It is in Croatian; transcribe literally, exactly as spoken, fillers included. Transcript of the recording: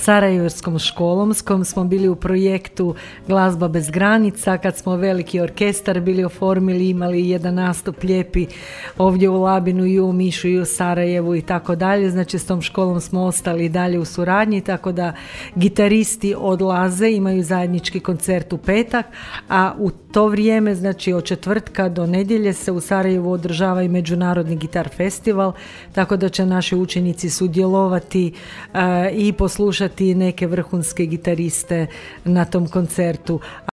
Sarajevskom školom s kojom smo bili u projektu Glazba bez granica, kad smo veliki orkestar bili oformili, imali jedan nastup lijepi ovdje u Labinu i u Omišu i u Sarajevu i tako dalje. Znači s tom školom smo ostali i dalje u suradnji, tako da gitaristi odlaze, imaju zajednički koncert u petak, a u to vrijeme, znači od četvrtka do nedjelje se u Sarajevu održava i Međunarodni gitar festival, tako da će naši učenici sudjelovati uh, i poslušati neke vrhunske gitariste na tom koncertu.